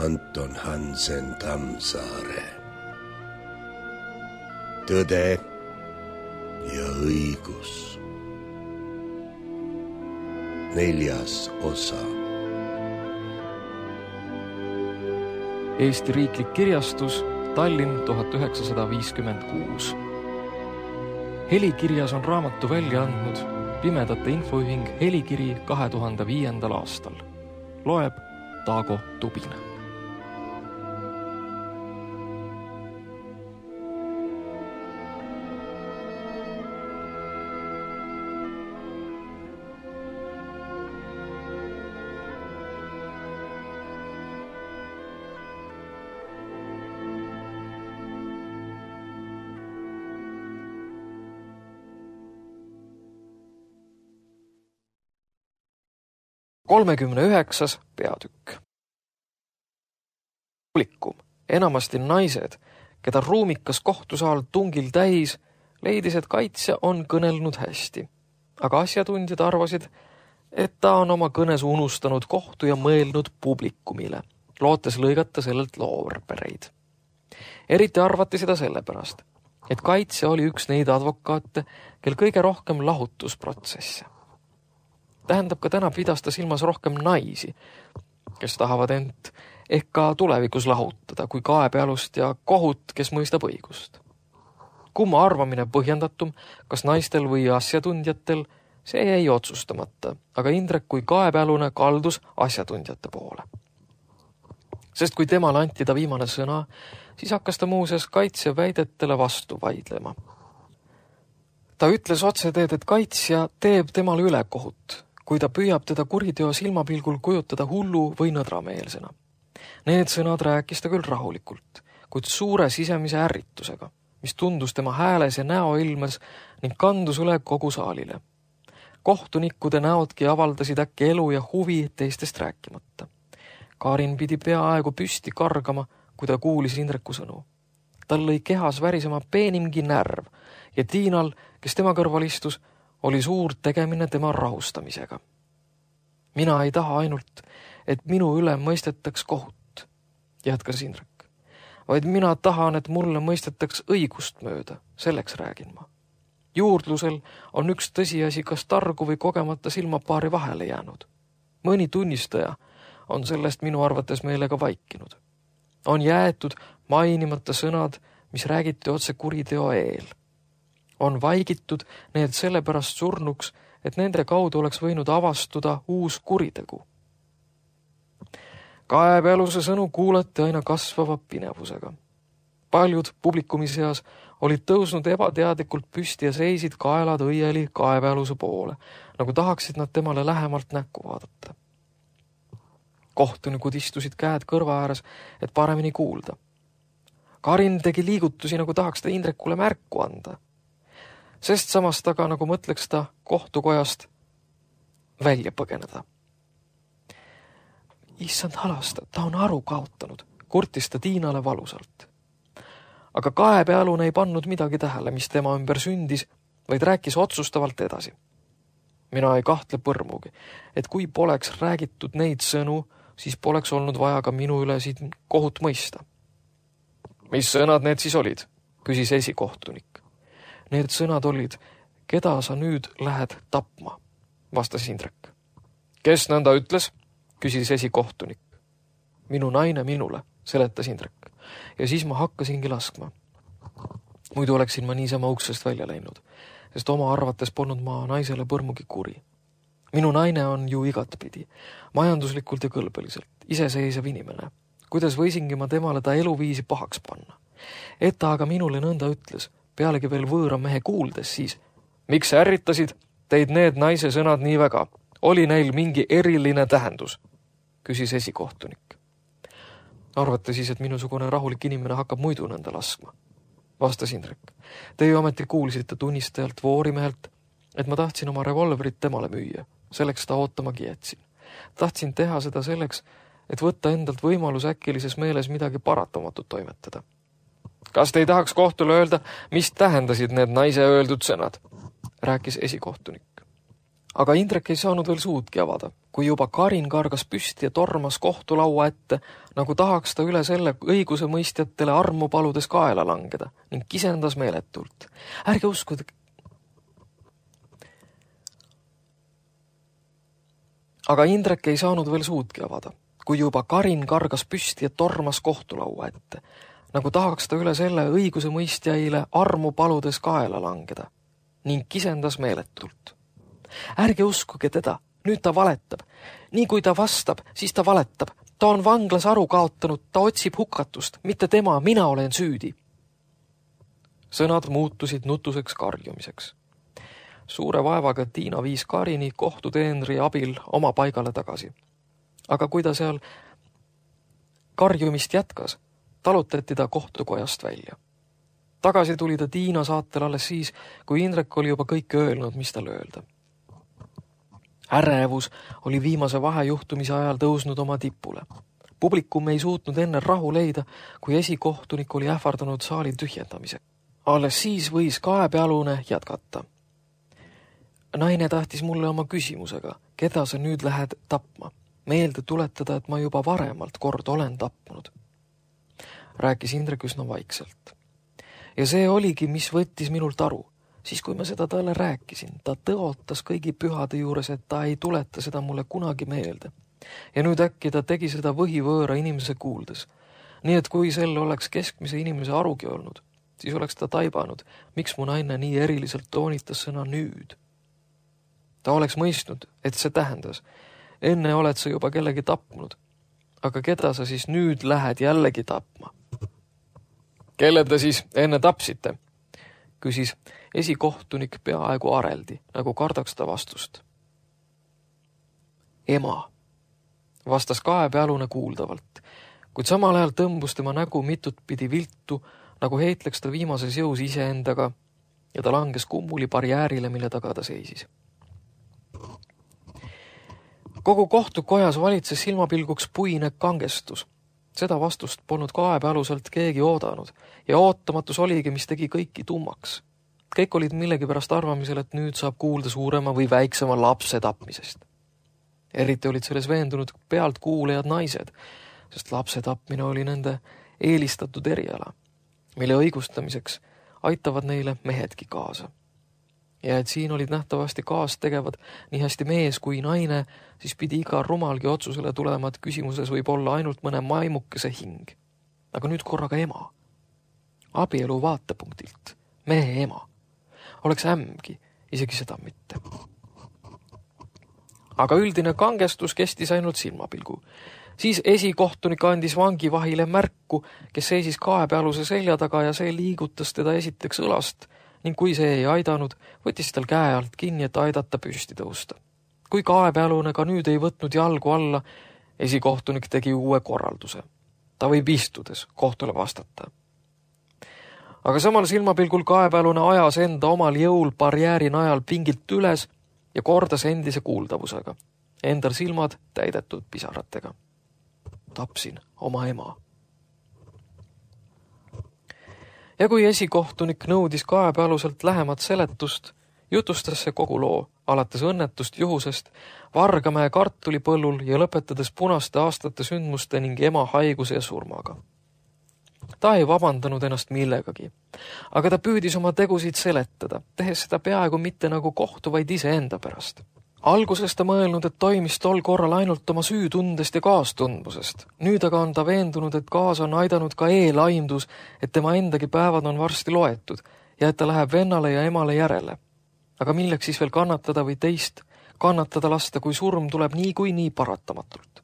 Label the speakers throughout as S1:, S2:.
S1: Anton Hansen Tammsaare. Tõde ja õigus. 4. osa.
S2: Eesti Riiklik Kirjastus, Tallinn 1956. Helikirjas on raamatu välja andnud Pimedate Infoühing Helikiri 2005. aastal. Loeb Taago Tubine. Kolmekümne 9. peatükk. Publikum, enamasti naised, keda ruumikas kohtusaal tungil täis, leidis, et kaitsja on kõnelnud hästi. Aga asjatundjad arvasid, et ta on oma kõnes unustanud kohtu ja mõelnud publikumile, lootes lõigata sellelt loorbereid. Eriti arvati seda sellepärast, et kaitsja oli üks neid advokaate, kel kõige rohkem lahutusprotsesse. Tähendab, ka täna pidas ta silmas rohkem naisi, kes tahavad end ehk ka tulevikus lahutada kui kaebealust ja kohut, kes mõistab õigust. Kumma arvamine põhjendatum, kas naistel või asjatundjatel, see jäi otsustamata, aga Indrek kui kaebealune kaldus asjatundjate poole. Sest kui temale anti ta viimane sõna, siis hakkas ta muuseas kaitsja väidetele vastu vaidlema. Ta ütles otseteed, et kaitsja teeb temale ülekohut, kui ta püüab teda kuriteo silmapilgul kujutada hullu või nõdrameelsena. Need sõnad rääkis ta küll rahulikult, kuid suure sisemise ärritusega, mis tundus tema hääles ja näoilmes ning kandus üle kogu saalile. Kohtunikkude näodki avaldasid äkki elu ja huvi teistest rääkimata. Karin pidi peaaegu püsti kargama, kui ta kuulis Indreku sõnu. Tal lõi kehas värisema peenimgi närv ja Tiinal, kes tema kõrval istus, oli suur tegemine tema rahustamisega. Mina ei taha ainult, et minu üle mõistetaks kohut, jätkas Indrek, vaid mina tahan, et mulle mõistetaks õigust mööda, selleks räägin ma. Juurdlusel on üks tõsiasi kas targu või kogemata silmapaari vahele jäänud. Mõni tunnistaja on sellest minu arvates meelega vaikinud. On jäetud mainimata sõnad, mis räägiti otse kuriteo eel. On vaikitud need sellepärast surnuks, et nende kaudu oleks võinud avastuda uus kuritegu. Kaebealuse sõnu kuulati aina kasvava pinevusega. Paljud publikumi seas olid tõusnud ebateadlikult püsti ja seisid kaelad õieli kaebealuse poole, nagu tahaksid nad temale lähemalt näkku vaadata. Kohtunikud istusid käed kõrva ääres, et paremini kuulda. Karin tegi liigutusi, nagu tahaks ta Indrekule märku anda. Sest samast aga, nagu mõtleks ta kohtukojast välja põgeneda. Issand halasta, ta on aru kaotanud, kurtis ta Tiinale valusalt. Aga kaebealune ei pannud midagi tähele, mis tema ümber sündis, vaid rääkis otsustavalt edasi. Mina ei kahtle põrmugi, et kui poleks räägitud neid sõnu, siis poleks olnud vaja ka minu üle siin kohut mõista. Mis sõnad need siis olid? Küsis esikohtunik. Need sõnad olid, keda sa nüüd lähed tapma, vastas Indrek. Kes nõnda ütles? Küsis esikohtunik. Minu naine minule, seletas Indrek. Ja siis ma hakkasingi laskma. Muidu oleksin ma niisama uksest välja läinud, sest oma arvates polnud ma naisele põrmugi kuri. Minu naine on ju igatpidi, majanduslikult ja kõlbeliselt, iseseisev inimene. Kuidas võisingi ma temale ta eluviisi pahaks panna? Et ta aga minule nõnda ütles, pealegi veel võõra mehe kuuldes siis. Miks ärritasid teid need naise sõnad nii väga? Oli neil mingi eriline tähendus? Küsis esikohtunik. Arvate siis, et minusugune rahulik inimene hakkab muidu nõnda laskma? Vastas Indrek. Teie ometi kuulsite tunnistajalt Voorimehelt, et ma tahtsin oma revolverit temale müüa. Selleks ta ootamagi jätsin. Tahtsin teha seda selleks, et võtta endalt võimalus äkilises meeles midagi paratamatut toimetada. Kas te ei tahaks kohtule öelda, mis tähendasid need naise öeldud sõnad? Rääkis esikohtunik. Aga Indrek ei saanud veel suudki avada, kui juba Karin kargas püsti ja tormas kohtulaua ette, nagu tahaks ta üle selle õiguse mõistjatele armu paludes kaela langeda ning kisendas meeletult. Ärge uskuda. Aga Indrek ei saanud veel suudki avada, kui juba Karin kargas püsti ja tormas kohtulaua ette, nagu tahaks ta üle selle õiguse mõistjaile armu paludes kaela langeda ning kisendas meeletult. Ärge uskuge teda, nüüd ta valetab. Nii kui ta vastab, siis ta valetab. Ta on vanglas aru kaotanud, ta otsib hukatust, mitte tema, mina olen süüdi. Sõnad muutusid nutuseks karjumiseks. Suure vaevaga Tiina viis Karini kohtuteenri abil oma paigale tagasi. Aga kui ta seal karjumist jätkas, talutati ta kohtukojast välja. Tagasi tuli ta Tiina saatel alles siis, kui Indrek oli juba kõike öelnud, mis tal öelda. Ärevus oli viimase vahejuhtumise ajal tõusnud oma tipule. Publikum ei suutnud enne rahu leida, kui esikohtunik oli ähvardanud saali tühjendamise. Alles siis võis kaebealune jätkata. Naine tahtis mulle oma küsimusega, keda sa nüüd lähed tapma. Meelde tuletada, et ma juba varemalt kord olen tapnud. Rääkis Indrek üsna vaikselt. Ja see oligi, mis võttis minult aru. Siis kui ma seda talle rääkisin, ta tõotas kõigi pühade juures, et ta ei tuleta seda mulle kunagi meelde. Ja nüüd äkki ta tegi seda võhivõõra inimese kuuldes. Nii et kui sel oleks keskmise inimese arugi olnud, siis oleks ta taibanud, miks mu naine nii eriliselt toonitas sõna nüüd. Ta oleks mõistnud, et see tähendas, enne oled sa juba kellegi tapnud, aga keda sa siis nüüd lähed jällegi tapma? Kelle te siis enne tapsite? Küsis esikohtunik peaaegu areldi, nagu kardaks ta vastust. Ema, vastas kaebealune kuuldavalt, kuid samal ajal tõmbus tema nägu mitut pidi viltu, nagu heitleks ta viimases jõus iseendaga ja ta langes kummuli barjäärile, mille taga ta seisis. Kogu kohtukojas valitses silmapilguks puine kangestus. Seda vastust polnud kaebealuselt keegi oodanud ja ootamatus oligi, mis tegi kõiki tummaks. Kõik olid millegipärast arvamisel, et nüüd saab kuulda suurema või väiksema lapse tapmisest. Eriti olid selles veendunud pealt kuulejad naised, sest lapse tapmine oli nende eelistatud eriala, mille õigustamiseks aitavad neile mehedki kaasa. Ja et siin olid nähtavasti kaas tegevad nii hästi mees kui naine, siis pidi iga rumalgi otsusele tulema, et küsimuses võib olla ainult mõne maimukese hing. Aga nüüd korraga ema. Abielu vaatepunktilt. Mehe ema. Oleks ämgi, isegi seda mitte. Aga üldine kangestus kestis ainult silmapilgu. Siis esikohtunik andis vangivahile märku, kes seisis kaebealuse selja taga ja see liigutas teda esiteks õlast, ning kui see ei aidanud, võttis tal käe alt kinni, et aidata püsti tõusta. Kui kaebealune ka nüüd ei võtnud jalgu alla, esikohtunik tegi uue korralduse. Ta võib istudes kohtule vastata. Aga samal silmapilgul kaebealune ajas enda omal jõul barjääri najal pingilt üles ja kordas endise kuuldavusega. Endal silmad täidetud pisaratega. Tapsin oma ema. Ja kui esikohtunik nõudis kaebealuselt lähemat seletust, jutustas see kogu loo, alates õnnetust juhusest, Vargamäe kartulipõllul ja lõpetades punaste aastate sündmuste ning ema haiguse ja surmaga. Ta ei vabandanud ennast millegagi, aga ta püüdis oma tegusid seletada, tehes seda peaaegu mitte nagu kohtu, vaid iseenda pärast. Alguses ta mõelnud, et toimis tol korral ainult oma süütundest ja kaastundmusest. Nüüd aga on ta veendunud, et kaas on aidanud ka eelaimdus, et tema endagi päevad on varsti loetud ja et ta läheb vennale ja emale järele. Aga milleks siis veel kannatada või teist kannatada lasta, kui surm tuleb nii paratamatult?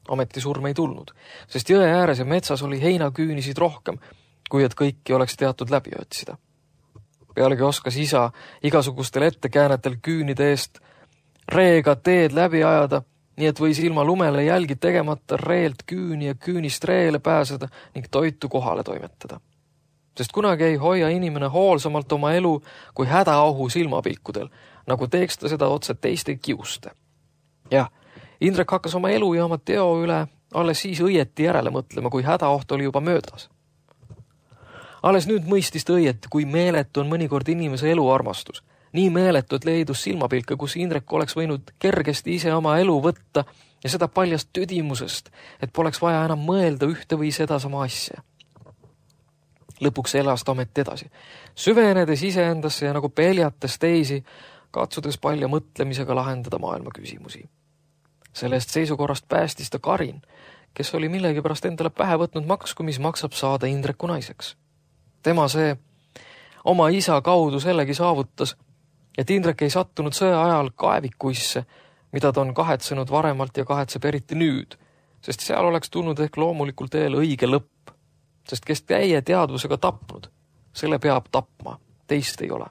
S2: Ometi surm ei tulnud, sest jõe ääres ja metsas oli heinaküünisid rohkem, kui et kõiki oleks teatud läbi otsida. Pealegi oskas isa igasugustel ettekäänetel küünide eest reega teed läbi ajada, nii et võis ilma lumele jälgi tegemata reelt küüni ja küünist reele pääseda ning toitu kohale toimetada. Sest kunagi ei hoia inimene hoolsamalt oma elu kui hädaohu silmapilkudel, nagu teeks ta seda otse teiste kiuste. Jah, Indrek hakkas oma elu ja oma teo üle alles siis õieti järele mõtlema, kui hädaoht oli juba möödas. Alles nüüd mõistis ta õieti, kui meeletu on mõnikord inimese eluarmastus. Nii meeletud leidus silmapilka, kus Indrek oleks võinud kergesti ise oma elu võtta ja seda paljast tüdimusest, et poleks vaja enam mõelda ühte või sedasama asja. Lõpuks elas ta ometi edasi, süvenedes iseendasse ja nagu peljates teisi, katsudes palja mõtlemisega lahendada maailma küsimusi. Sellest seisukorrast päästis ta Karin, kes oli millegipärast endale pähe võtnud maksku, mis maksab saada Indreku naiseks. Tema see oma isa kaudu sellegi saavutas, et Indrek ei sattunud sõja ajal kaevikuisse, mida ta on kahetsenud varemalt ja kahetseb eriti nüüd, sest seal oleks tulnud ehk loomulikul teel õige lõpp, sest kes käie teadvusega tapnud, selle peab tapma, teist ei ole.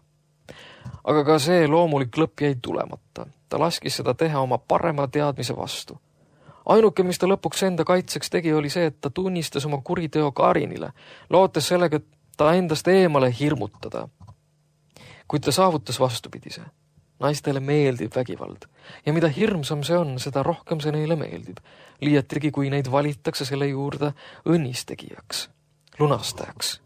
S2: Aga ka see loomulik lõpp jäi tulemata. Ta laskis seda teha oma parema teadmise vastu. Ainuke, mis ta lõpuks enda kaitseks tegi, oli see, et ta tunnistas oma kuriteo Karinile, lootes sellega ta endast eemale hirmutada. Kuid ta saavutas vastupidise. Naistele meeldib vägivald. Ja mida hirmsam see on, seda rohkem see neile meeldib. Liiatigi, kui neid valitakse selle juurde õnnistegijaks, lunastajaks.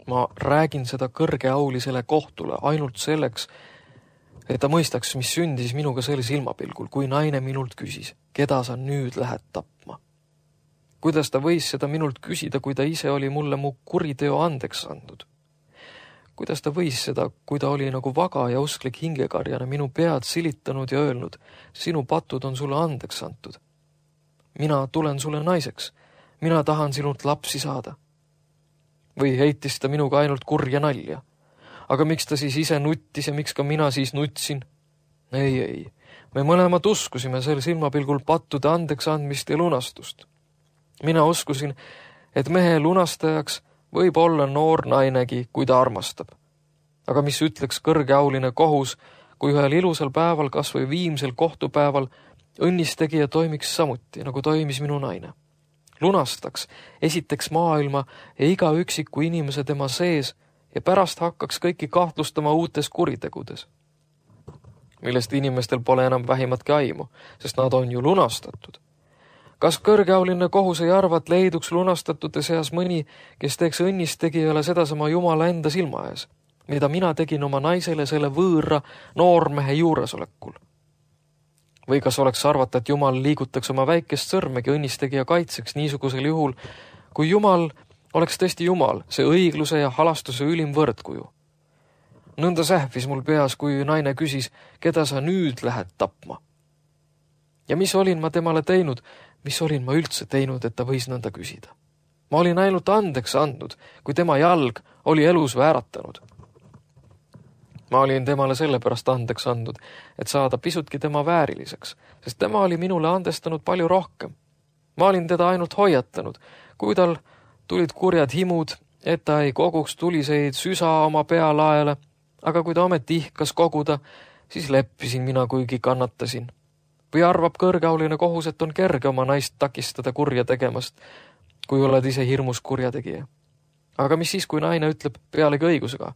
S2: Ma räägin seda kõrgeaulisele kohtule ainult selleks, et ta mõistaks, mis sündis minuga selle silmapilgul, kui naine minult küsis, keda sa nüüd lähed tapma. Kuidas ta võis seda minult küsida, kui ta ise oli mulle mu kuriteo andeks andnud? Kuidas ta võis seda, kui ta oli nagu vaga ja usklik hingekarjana minu pead silitanud ja öelnud, sinu patud on sulle andeks antud. Mina tulen sulle naiseks, mina tahan sinult lapsi saada. Või heitis ta minuga ainult kurja nalja. Aga miks ta siis ise nuttis ja miks ka mina siis nutsin? Ei. Me mõlemad uskusime sel silmapilgul pattude andeks andmist ja lunastust. Mina uskusin, et mehe lunastajaks võib olla noor nainegi, kui ta armastab. Aga mis ütleks kõrgeauline kohus, kui ühel ilusal päeval, kas või viimsel kohtupäeval, õnnistegija toimiks samuti, nagu toimis minu naine. Lunastaks, esiteks maailma ja iga üksiku inimese tema sees ja pärast hakkaks kõiki kahtlustama uutes kuritegudes, millest inimestel pole enam vähimatki aimu, sest nad on ju lunastatud. Kas kõrgeauline kohus ei arva, et leiduks lunastatute seas mõni, kes teeks õnnistegijale sedasama Jumala enda silma ees, mida mina tegin oma naisele selle võõra noormehe juuresolekul? Või kas oleks arvata, et Jumal liigutaks oma väikest sõrmegi õnnistegija kaitseks niisugusel juhul, kui Jumal oleks tõesti Jumal, see õigluse ja halastuse ülim võrdkuju? Nõnda sähvis mul peas, kui naine küsis, keda sa nüüd lähed tapma. Ja mis olin ma temale teinud, mis olin ma üldse teinud, et ta võis nõnda küsida? Ma olin ainult andeks andnud, kui tema jalg oli elus vääratanud. Ma olin temale sellepärast andeks andnud, et saada pisutki tema vääriliseks, sest tema oli minule andestanud palju rohkem. Ma olin teda ainult hoiatanud, kui tal tulid kurjad himud, et ta ei koguks tuliseid süsa oma pealaele, aga kui ta ometi ihkas koguda, siis leppisin mina, kuigi kannatasin. Või arvab kõrgeauline kohus, et on kerge oma naist takistada kurja tegemast, kui oled ise hirmus kurjategija. Aga mis siis, kui naine ütleb pealegi õigusega?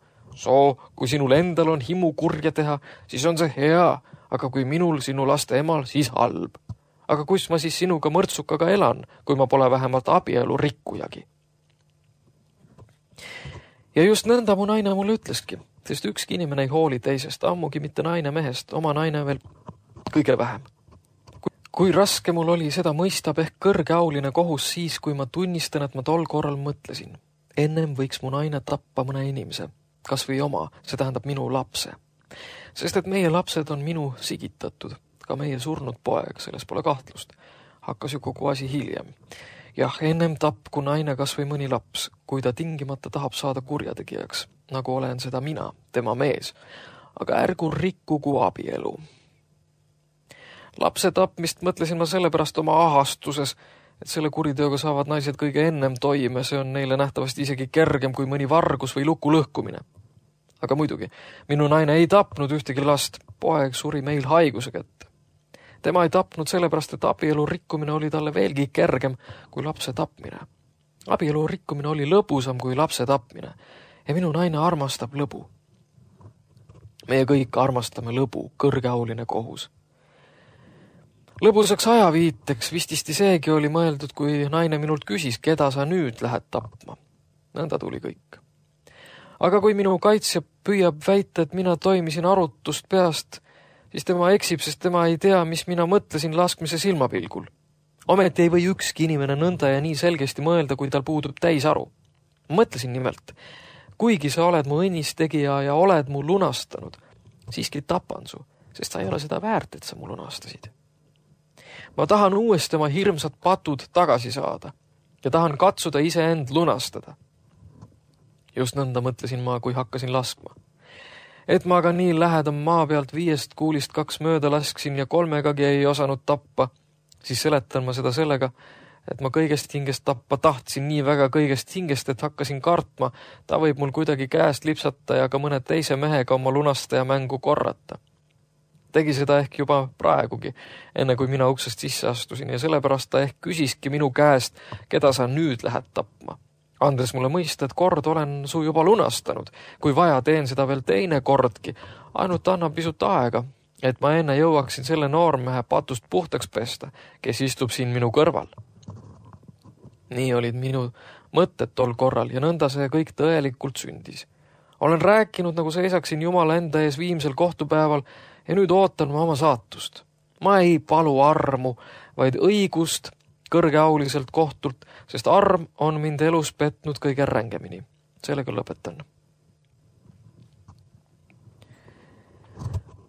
S2: Kui sinul endal on himu kurja teha, siis on see hea, aga kui minul sinu laste emal, siis halb. Aga kus ma siis sinuga mõrtsukaga elan, kui ma pole vähemalt abielu rikkujagi? Ja just nõnda mu naine mulle ütleski, sest ükski inimene ei hooli teisest, ammugi mitte naine mehest, oma naine veel kõige vähem. Kui raske mul oli seda mõistab ehk kõrgeauline kohus siis, kui ma tunnistan, et ma tol korral mõtlesin. Ennem võiks mu naine tappa mõne inimese, kas või oma, see tähendab minu lapse. Sest et meie lapsed on minu sigitatud, ka meie surnud poeg, selles pole kahtlust. Hakkas ju kogu asi hiljem. Jah, ennem tapku naine kas või mõni laps, kui ta tingimata tahab saada kurjategijaks, nagu olen seda mina, tema mees. Aga ärgu rikkugu abielu. Lapse tapmist mõtlesin ma sellepärast oma ahastuses, et selle kuriteoga saavad naised kõige ennem toime, see on neile nähtavasti isegi kergem kui mõni vargus või luku lõhkumine. Aga muidugi, minu naine ei tapnud ühtegi last, poeg suri meil haiguse kätte. Tema ei tapnud sellepärast, et abielu rikkumine oli talle veelgi kergem kui lapse tapmine. Abielu rikkumine oli lõbusam kui lapse tapmine ja minu naine armastab lõbu. Meie kõik armastame lõbu, kõrgeauline kohus. Lõbusaks ajaviiteks vististi seegi oli mõeldud, kui naine minult küsis, keda sa nüüd lähed tapma. Nõnda tuli kõik. Aga kui minu kaitsja püüab väita, et mina toimisin arutust peast, siis tema eksib, sest tema ei tea, mis mina mõtlesin laskmise silmapilgul. Ometi ei või ükski inimene nõnda ja nii selgesti mõelda, kui tal puudub täisaru. Mõtlesin nimelt, kuigi sa oled mu õnnistegija ja oled mu lunastanud, siiski tapan su, sest sa ei ole seda väärt, et sa mu lunastasid. Ma tahan uuesti oma hirmsad patud tagasi saada ja tahan katsuda iseend lunastada. Just nõnda mõtlesin ma, kui hakkasin laskma. Et ma aga nii lähedam maa pealt 5 kuulist 2 mööda lasksin ja 3-gagi ei osanud tappa, siis seletan ma seda sellega, et ma kõigest hingest tappa tahtsin nii väga kõigest hingest, et hakkasin kartma, ta võib mul kuidagi käest lipsata ja ka mõne teise mehega oma lunastaja mängu korrata. Tegi seda ehk juba praegugi, enne kui mina uksest sisse astusin ja sellepärast ta ehk küsiski minu käest, keda sa nüüd lähed tapma. Andes mulle mõista, et kord olen su juba lunastanud, kui vaja teen seda veel teine kordki, ainult annan pisut aega, et ma enne jõuaksin selle noormehe patust puhtaks pesta, kes istub siin minu kõrval. Nii olid minu mõtted tol korral ja nõnda see kõik tõelikult sündis. Olen rääkinud, nagu seisaksin Jumala enda ees viimsel kohtupäeval ja nüüd ootan ma oma saatust. Ma ei palu armu, vaid õigust kõrgeauliselt kohtult, sest arm on mind elus petnud kõige rängemini. Sellega lõpetan.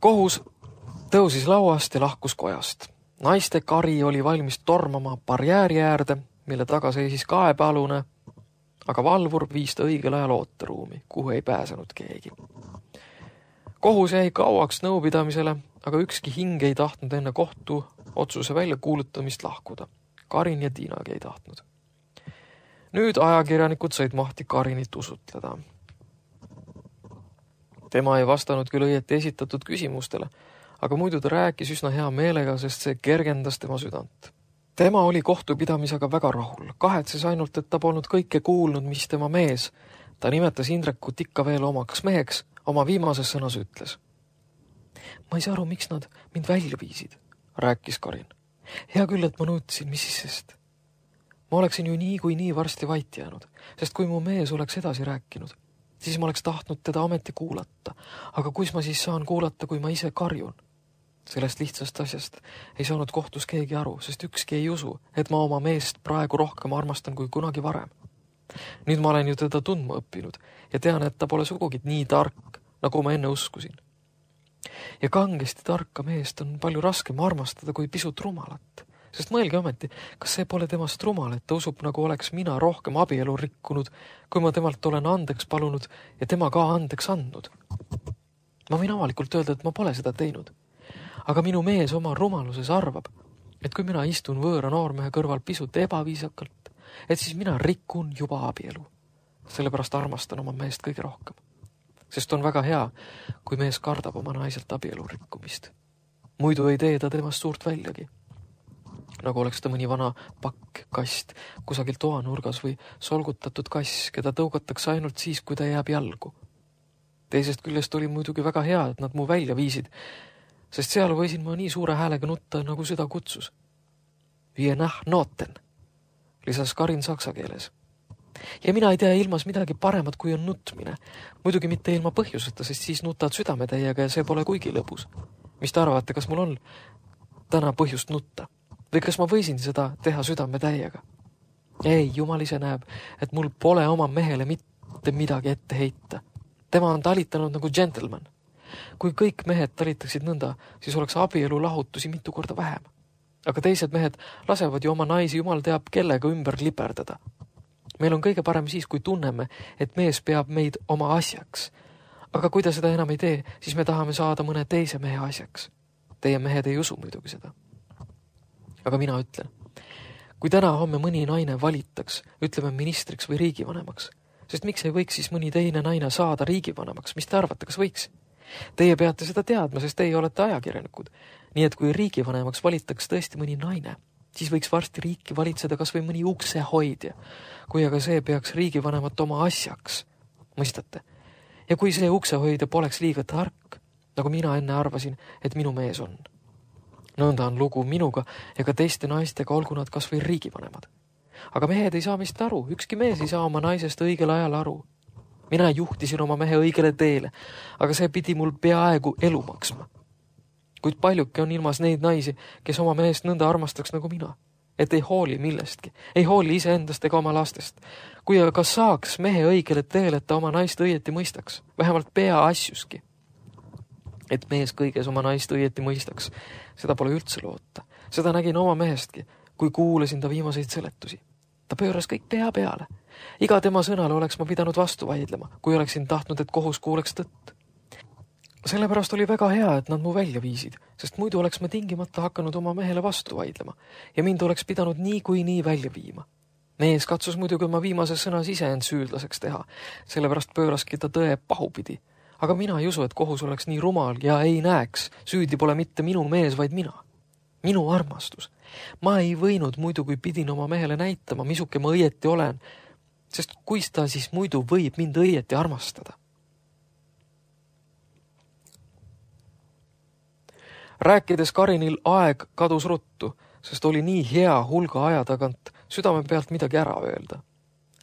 S2: Kohus tõusis lauast ja lahkus kojast. Naiste kari oli valmis tormama barjääri äärde, mille taga seisis kaebealune, aga valvur viis ta õigel ajal ooteruumi, kuhu ei pääsenud keegi. Kohus jäi kauaks nõupidamisele, aga ükski hing ei tahtnud enne kohtu otsuse välja kuulutamist lahkuda. Karin ja Tiinagi ei tahtnud. Nüüd ajakirjanikud said mahti Karinit usutleda. Tema ei vastanud küll õieti esitatud küsimustele, aga muidu ta rääkis üsna hea meelega, sest see kergendas tema südant. Tema oli kohtupidamisega väga rahul, kahetses ainult, et ta polnud kõike kuulnud, mis tema mees. Ta nimetas Indrekut ikka veel omaks meheks, oma viimases sõnas ütles. Ma ei saa aru, miks nad mind välja viisid, rääkis Karin. Hea küll, et ma nõudsin, mis siis sest. Ma oleksin ju nii kui nii varsti vait jäänud, sest kui mu mees oleks edasi rääkinud, siis ma oleks tahtnud teda ameti kuulata. Aga kuis ma siis saan kuulata, kui ma ise karjun? Sellest lihtsast asjast ei saanud kohtus keegi aru, sest ükski ei usu, et ma oma meest praegu rohkem armastan kui kunagi varem. Nüüd ma olen ju teda tundma õppinud ja tean, et ta pole sugugi nii tark, nagu ma enne uskusin. Ja kangesti tarka meest on palju raskem armastada kui pisut rumalat. Sest mõelge ometi, kas see pole temast rumal, et ta usub, nagu oleks mina rohkem abielu rikkunud, kui ma temalt olen andeks palunud ja tema ka andeks andnud. Ma võin avalikult öelda, et ma pole seda teinud. Aga minu mees oma rumaluses arvab, et kui mina istun võõra noormehe kõrval pisut ebaviisakalt, et siis mina rikun juba abielu. Sellepärast armastan oma meest kõige rohkem. Sest on väga hea, kui mees kardab oma naiselt abielu rikkumist. Muidu ei tee ta temast suurt väljagi. Nagu oleks ta mõni vana pakk, kast, kusagil toanurgas või solgutatud kass, keda tõugatakse ainult siis, kui ta jääb jalgu. Teisest küljest oli muidugi väga hea, et nad mu välja viisid, sest seal võisin ma nii suure häälega nutta, nagu seda kutsus. Wir nach Noten, lisas Karin saksa keeles. Ja mina ei tea ilmas midagi paremat, kui on nutmine. Muidugi mitte ilma põhjuseta, sest siis nutad südametäiega ja see pole kuigi lõbus. Mis te arvate, kas mul on täna põhjust nutta? Või kas ma võisin seda teha südametäiega? Ei, Jumal ise näeb, et mul pole oma mehele mitte midagi ette heita. Tema on talitanud nagu gentleman. Kui kõik mehed talitaksid nõnda, siis oleks abielu lahutusi mitu korda vähem. Aga teised mehed lasevad ju oma naisi Jumal teab kellega ümber liperdada. Meil on kõige parem siis, kui tunneme, et mees peab meid oma asjaks. Aga kui ta seda enam ei tee, siis me tahame saada mõne teise mehe asjaks. Teie mehed ei usu muidugi seda. Aga mina ütlen, kui täna homme mõni naine valitaks, ütleme ministriks või riigivanemaks, sest miks ei võiks siis mõni teine naine saada riigivanemaks, mis te arvate, kas võiks? Teie peate seda teadma, sest teie olete ajakirjanikud. Nii et kui riigivanemaks valitaks tõesti mõni naine, siis võiks varsti riiki valitseda kas või mõni uksehoidja, kui aga see peaks riigivanemat oma asjaks. Mõistate? Ja kui see uksehoidja poleks liiga tark, nagu mina enne arvasin, et minu mees on. Nõnda on lugu minuga ja ka teiste naistega, olgu nad kas või riigivanemad. Aga mehed ei saa meist aru, ükski mees ei saa oma naisest õigel ajal aru. Mina juhtisin oma mehe õigele teele, aga see pidi mul peaaegu elu maksma. Kuid paljuke on ilmas neid naisi, kes oma mehest nõnda armastaks nagu mina, et ei hooli millestki, ei hooli iseendast ega oma lastest. Kui aga saaks mehe õigele teele, et ta oma naist õieti mõistaks, vähemalt peaasjuski, et mees kõiges oma naist õieti mõistaks, seda pole üldse loota. Seda nägin oma mehestki, kui kuulasin ta viimaseid seletusi. Ta pööras kõik pea peale. Iga tema sõnale oleks ma pidanud vastu vaidlema, kui oleksin tahtnud, et kohus kuuleks tõtt. Sellepärast oli väga hea, et nad mu välja viisid, sest muidu oleks ma tingimata hakanud oma mehele vastu vaidlema ja mind oleks pidanud nii välja viima. Mees katsus muidugi oma viimases sõnas ise end süüdlaseks teha, sellepärast pööraski ta tõe pahupidi. Aga mina ei usu, et kohus oleks nii rumal ja ei näeks, süüdi pole mitte minu mees, vaid mina. Minu armastus. Ma ei võinud muidu, kui pidin oma mehele näitama, misuke ma õieti olen, sest kuis ta siis muidu võib mind õieti armastada. Rääkides Karinil aeg kadus ruttu, sest oli nii hea hulga aja tagant südame pealt midagi ära öelda.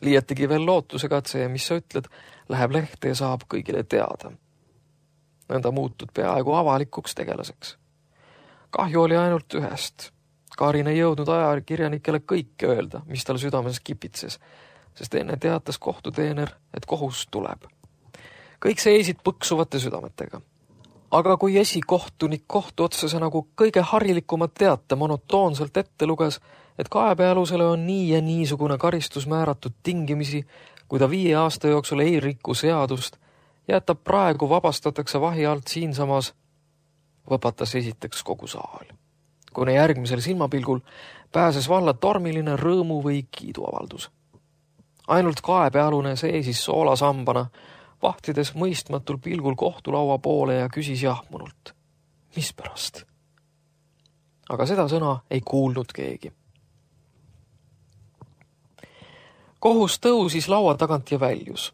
S2: Liiatigi veel lootusega, et see, mis sa ütled, läheb lehte ja saab kõigile teada. Nõnda muutud peaaegu avalikuks tegelaseks. Kahju oli ainult ühest. Karin ei jõudnud ajakirjanikele kõike öelda, mis tal südames kipitses, sest enne teatas kohtuteener, et kohus tuleb. Kõik seisid põksuvate südametega. Aga kui esikohtunik kohtu otsese nagu kõige harilikumad teate monotoonselt ette luges, et kaebealusele on nii ja niisugune karistus määratud tingimisi, kui ta 5 aasta jooksul ei rikku seadust ja et ta praegu vabastatakse vahi alt siinsamas, võpatas esiteks kogu saal. Kuna järgmisel silmapilgul pääses valla tormiline rõõmu või kiiduavaldus. Ainult kaebealune seisis soolasambana, vahtides mõistmatul pilgul kohtulaua poole ja küsis jahmunult. Mis pärast? Aga seda sõna ei kuulnud keegi. Kohus tõusis laua tagant ja väljus.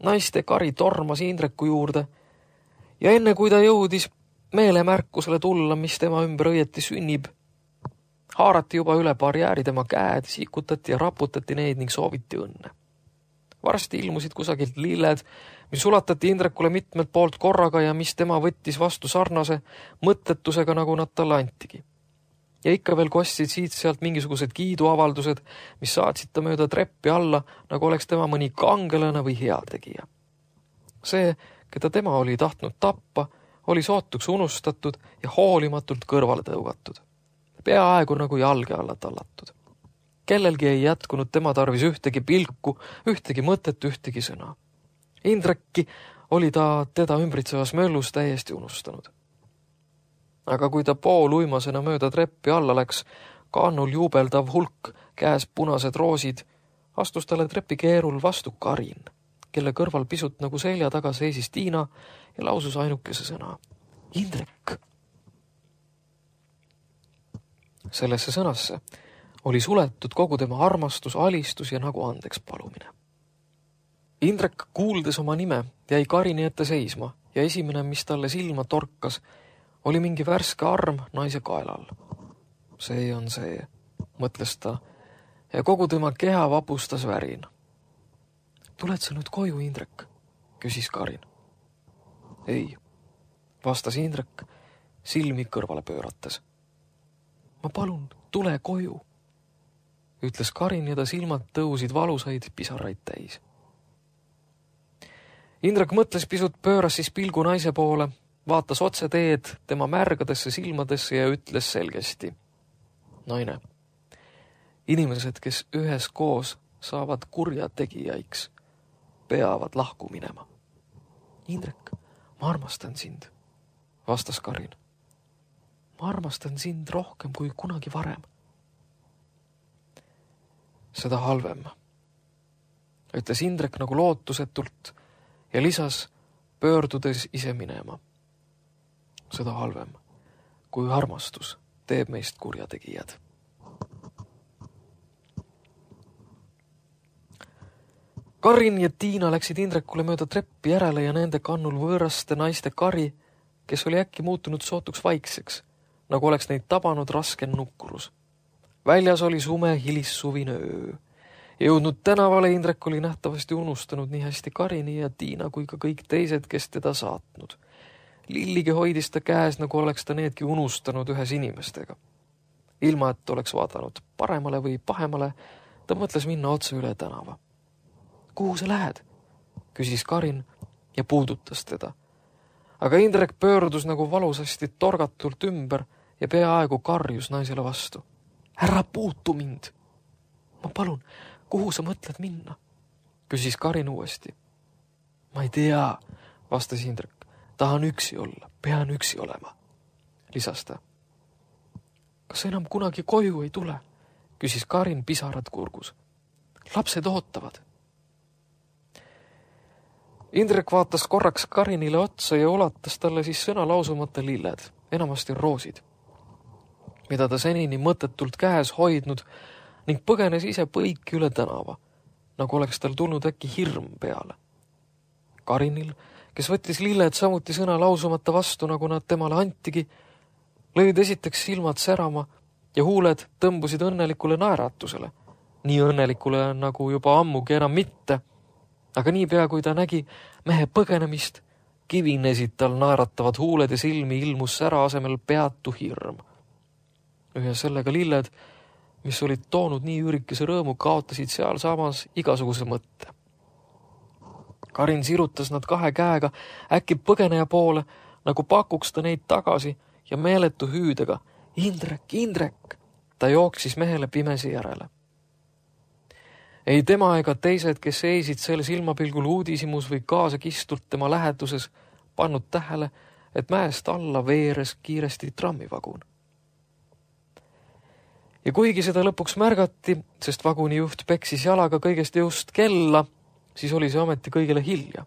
S2: Naiste kari tormas Indreku juurde ja enne kui ta jõudis meelemärkusele tulla, mis tema ümber õieti sünnib, haarati juba üle barjääri tema käed, sikutati ja raputati neid ning sooviti õnne. Varsti ilmusid kusagilt lilled, mis ulatati Indrekule mitmelt poolt korraga ja mis tema võttis vastu sarnase mõttetusega, nagu nad talle antigi. Ja ikka veel kostsid siit sealt mingisugused kiiduavaldused, mis saatsid ta mööda treppi alla, nagu oleks tema mõni kangelane või heategija. See, keda tema oli tahtnud tappa, oli sootuks unustatud ja hoolimatult kõrvale tõugatud. Peaaegu nagu jalge alla tallatud. Kellelgi ei jätkunud tema tarvis ühtegi pilku, ühtegi mõtet, ühtegi sõna. Indrekki oli ta teda ümbritsevas möllus täiesti unustanud. Aga kui ta pooluimasena mööda treppi alla läks, kannul juubeldav hulk, käes punased roosid, astus talle trepikeerul vastu Karin, kelle kõrval pisut nagu selja taga seisis Tiina ja lausus ainukese sõna. Indrek! Sellesse sõnasse oli suletud kogu tema armastus, alistus ja nagu andeks palumine. Indrek, kuuldes oma nime, jäi Karini ette seisma ja esimene, mis talle silma torkas, oli mingi värske arm naise kaelal. See on see, mõtles ta, ja kogu tema keha vapustas värin. Tuled sa nüüd koju, Indrek? Küsis Karin. Ei, vastas Indrek, silmi kõrvale pöörates. Ma palun, tule koju, ütles Karin ja ta silmad tõusid valusaid pisaraid täis. Indrek mõtles pisut, pööras siis pilgu naise poole, vaatas otse teed tema märgadesse silmadesse ja ütles selgesti. Naine, inimesed, kes üheskoos saavad kurjategijaiks, peavad lahku minema. Indrek, ma armastan sind, vastas Karin. Ma armastan sind rohkem kui kunagi varem. Seda halvem, ütles Indrek nagu lootusetult ja lisas, pöördudes ise minema. Seda halvem, kui armastus teeb meist kurjategijad. Karin ja Tiina läksid Indrekule mööda treppi järele ja nende kannul võõraste naiste kari, kes oli äkki muutunud sootuks vaikseks, nagu oleks neid tabanud raske nukkurus. Väljas oli sume hilissuvine öö Jõudnud tänavale Indrek oli nähtavasti unustanud nii hästi Karini ja Tiina kui ka kõik teised, kes teda saatnud. Lilligi hoidis ta käes, nagu oleks ta needki unustanud ühes inimestega. Ilma, et oleks vaadanud paremale või pahemale, ta mõtles minna otse üle tänava. Kuhu sa lähed? Küsis Karin ja puudutas teda. Aga Indrek pöördus nagu valusasti torgatult ümber ja peaaegu karjus naisele vastu. Ära puutu mind! Ma palun, kuhu sa mõtled minna? Küsis Karin uuesti. Ma ei tea, vastas Indrek. Tahan üksi olla, pean üksi olema, lisas ta. Kas enam kunagi koju ei tule? Küsis Karin pisarad kurgus. Lapsed ootavad. Indrek vaatas korraks Karinile otsa ja ulatas talle siis sõna lausumata lilled, enamasti roosid, mida ta senini mõttetult käes hoidnud ning põgenes ise põiki üle tänava, nagu oleks tal tulnud äkki hirm peale. Karinil, kes võttis lilled samuti sõna lausumata vastu, nagu nad temale antigi, lõid esiteks silmad särama ja huuled tõmbusid õnnelikule naeratusele, nii õnnelikule nagu juba ammugi enam mitte, aga niipea kui ta nägi mehe põgenemist, kivinesid tal naeratavad huuled ja silmi ilmus sära asemel peatu hirm. Ühe sellega lilled, mis olid toonud nii üürikese rõõmu, kaotasid seal samas igasuguse mõtte. Karin sirutas nad kahe käega äkki põgeneja poole, nagu pakuks ta neid tagasi ja meeletu hüüdega. Indrek, Indrek! Ta jooksis mehele pimesi järele. Ei tema ega teised, kes seisid selle silmapilgul uudisimus või kaasakistult tema läheduses, pannud tähele, et mäest alla veeres kiiresti trammivagun. Ja kuigi seda lõpuks märgati, sest vagunijuht peksis jalaga kõigest just kella, siis oli see ometi kõigile hilja.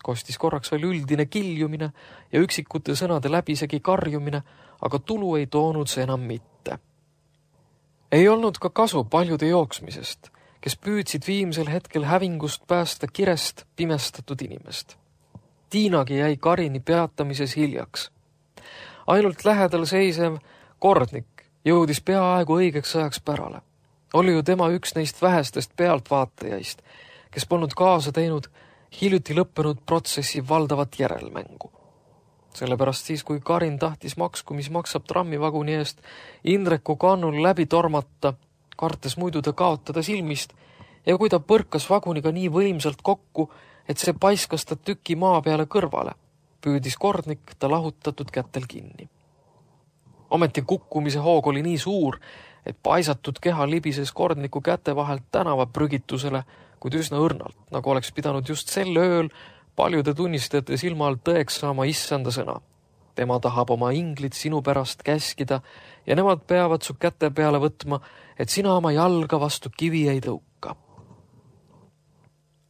S2: Kostis korraks veel üldine kiljumine ja üksikute sõnade läbisegi karjumine, aga tulu ei toonud see enam mitte. Ei olnud ka kasu paljude jooksmisest, kes püüdsid viimsel hetkel hävingust päästa kirest pimestatud inimest. Tiinagi jäi Karini peatamises hiljaks. Ainult lähedal seisev kordnik jõudis peaaegu õigeks ajaks pärale. Oli ju tema üks neist vähestest pealtvaatajaist, kes polnud kaasa teinud hiljuti lõppenud protsessi valdavat järelmängu. Sellepärast siis, kui Karin tahtis maksku, mis maksab trammivaguni eest, Indreku kannul läbi tormata, kartes muidu ta kaotada silmist, ja kui ta põrkas vaguniga nii võimsalt kokku, et see paiskas ta tüki maa peale kõrvale, püüdis kordnik ta lahutatud kätel kinni. Ometi kukkumise hoog oli nii suur, et paisatud keha libises kordniku käte vahelt tänava prügitusele, kuid üsna õrnalt, nagu oleks pidanud just sel ööl paljude tunnistajate silma all tõeks saama issanda sõna. Tema tahab oma inglit sinu pärast käskida ja nemad peavad su käte peale võtma, et sina oma jalga vastu kivi ei tõuka.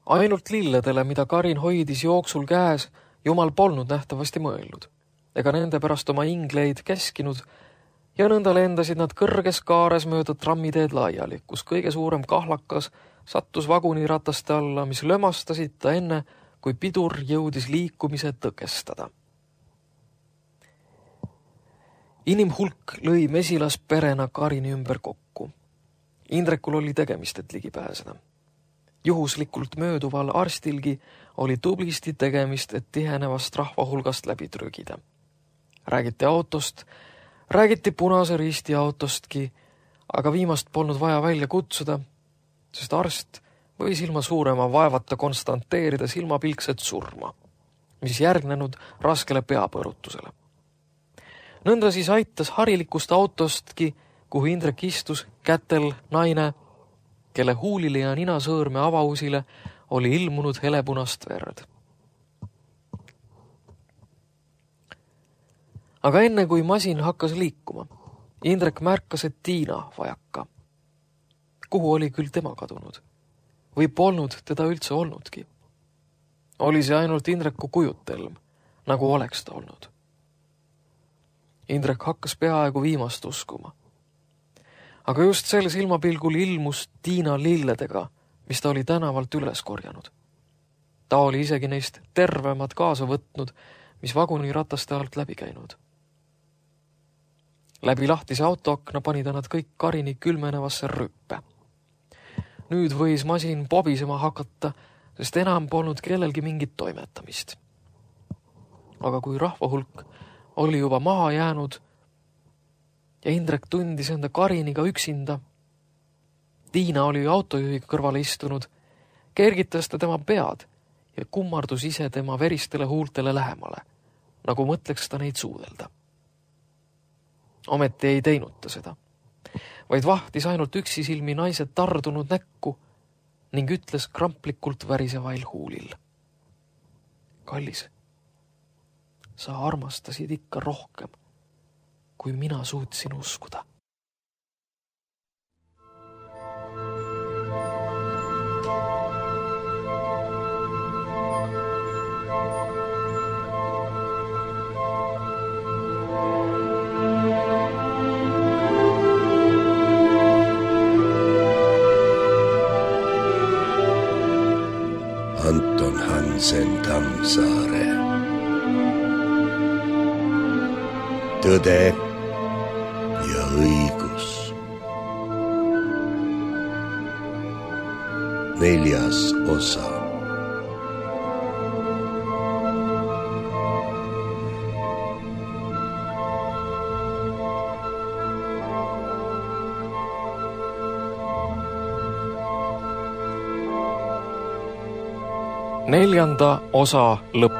S2: Ainult lilledele, mida Karin hoidis jooksul käes, Jumal polnud nähtavasti mõelnud, ega nende pärast oma ingleid käskinud ja nõnda lendasid nad kõrges kaares mööda trammiteed laiali, kus kõige suurem kahlakas sattus vagunirataste alla, mis lömastasid ta enne, kui pidur jõudis liikumise tõkestada. Inimhulk lõi mesilas perena Karini ümber kokku. Indrekul oli tegemist, et ligi pääseda. Juhuslikult mööduval arstilgi oli tublisti tegemist, et tihenevast rahvahulgast läbi trügida. Räägiti autost, räägiti Punase Risti autostki, aga viimast polnud vaja välja kutsuda, sest arst võis ilma suurema vaevata konstanteerida silmapilkset surma, mis järgnenud raskele peapõrutusele. Nõnda siis aitas harilikust autostki, kuhu Indrek istus, kätel naine, kelle huulile ja ninasõõrme avausile oli ilmunud helepunast verd. Aga enne kui masin hakkas liikuma, Indrek märkas, et Tiina vajaka. Kuhu oli küll tema kadunud? Või polnud teda üldse olnudki? Oli see ainult Indreku kujutelm, nagu oleks ta olnud. Indrek hakkas peaaegu viimast uskuma. Aga just sel silmapilgul ilmus Tiina lilledega, mis ta oli tänavalt üles korjanud. Ta oli isegi neist tervemad kaasa võtnud, mis vagunirataste alt läbi käinud. Läbi lahtise autoakna pani ta nad kõik Karini külmenevasse rüppe. Nüüd võis masin pobisema hakata, sest enam polnud kellelgi mingit toimetamist. Aga kui rahvahulk oli juba maha jäänud ja Indrek tundis enda Kariniga üksinda, Tiina oli autojuhiga kõrvale istunud, kergitas ta tema pead ja kummardus ise tema veristele huultele lähemale, nagu mõtleks ta neid suudelda. Ometi ei teinud ta seda, vaid vahtis ainult üksisilmi naise tardunud näkku ning ütles kramplikult värisevail huulil. Kallis, sa armastasid ikka rohkem, kui mina suutsin uskuda.
S1: Anton Hansen Tammsaare. Tõde ja õigus. 4. osa.
S2: Neljanda osa lõpp.